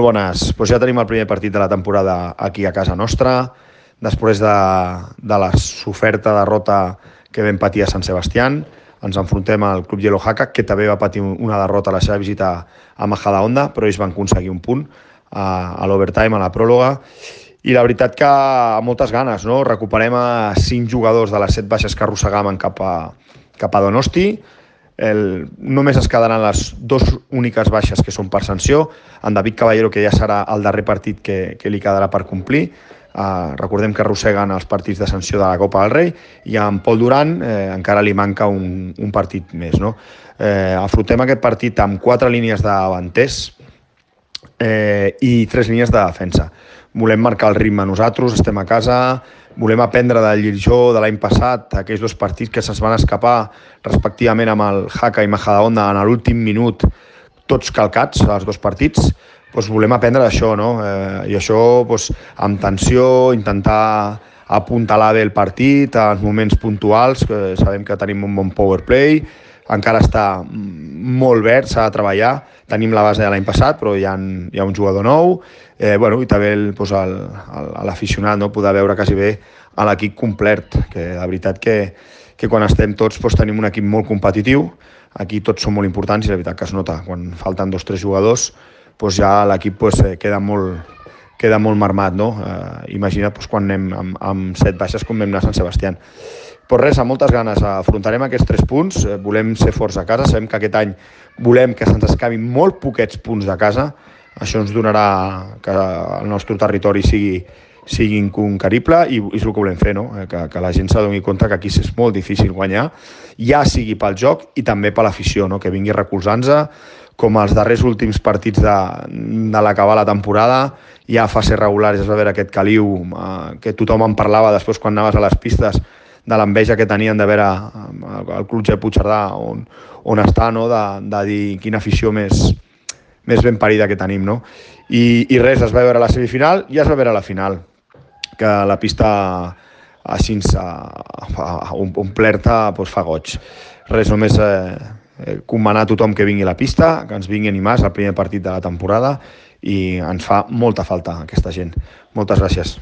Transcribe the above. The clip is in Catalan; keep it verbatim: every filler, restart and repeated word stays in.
Molt bones. Pues ja tenim el primer partit de la temporada aquí a casa nostra, després de, de la soferta derrota que vam patir a Sant Sebastián. Ens enfrontem al Club Yellow Haka, que també va patir una derrota a la seva visita a Majadahonda, però ells van aconseguir un punt a, a l'overtime, a la pròloga. I la veritat que amb moltes ganes, no? Recuperem a cinc jugadors de les set baixes que arrossegàvem cap a, cap a Donosti. El, només es quedaran les dues úniques baixes que són per sanció. En David Caballero, que ja serà el darrer partit que, que li quedarà per complir. Uh, recordem que arrosseguen els partits de sanció de la Copa del Rei, i a en Pol Duran eh, encara li manca un, un partit més, no? Eh, afrontem aquest partit amb quatre línies de davanters eh, i tres línies de defensa. Volem marcar el ritme nosaltres, estem a casa, volem aprendre del Llirjó de l'any passat, aquells dos partits que se'ns van escapar respectivament amb el Haka i Majadahonda en l'últim minut, tots calcats, els dos partits. Doncs volem aprendre d'això, no? Eh, I això doncs, amb tensió, intentar apuntalar bé el partit en moments puntuals, que sabem que tenim un bon power play, encara està molt verd, s'ha de treballar, tenim la base de l'any passat, però hi ha, hi ha un jugador nou, eh, bueno, i també doncs, l'aficionat, no? Poder veure quasi bé a l'equip complet, que la veritat que, que quan estem tots doncs, tenim un equip molt competitiu, aquí tots són molt importants i la veritat que es nota, quan falten dos o tres jugadors, doncs ja l'equip doncs, queda, molt, queda molt marmat, no? Eh, imagina't doncs, quan anem amb, amb set baixes com vam anar a Sant Sebastián. Però res, amb moltes ganes, afrontarem aquests tres punts, eh, volem ser forts a casa, sabem que aquest any volem que se'ns escapin molt poquets punts de casa, això ens donarà que el nostre territori sigui, sigui inconquerible i és el que volem fer, no? que, que la gent s'adoni compte que aquí és molt difícil guanyar, ja sigui pel joc i també per l'afició, no? Que vingui recolzant-se, com els darrers últims partits de, de l'acabar la temporada, ja a fase regular ja es va veure aquest caliu eh, que tothom en parlava després quan anaves a les pistes, de l'enveja que tenien de veure el Club G Puigcerdà on, on està, no? de, de dir quina afició més, més ben parida que tenim, no? I, i res, es va veure la semifinal i es va veure la final, que la pista així omplerta doncs, fa goig. Res, només eh, comanar a tothom que vingui a la pista, que ens vingui a animar, és el primer partit de la temporada i ens fa molta falta aquesta gent. Moltes gràcies.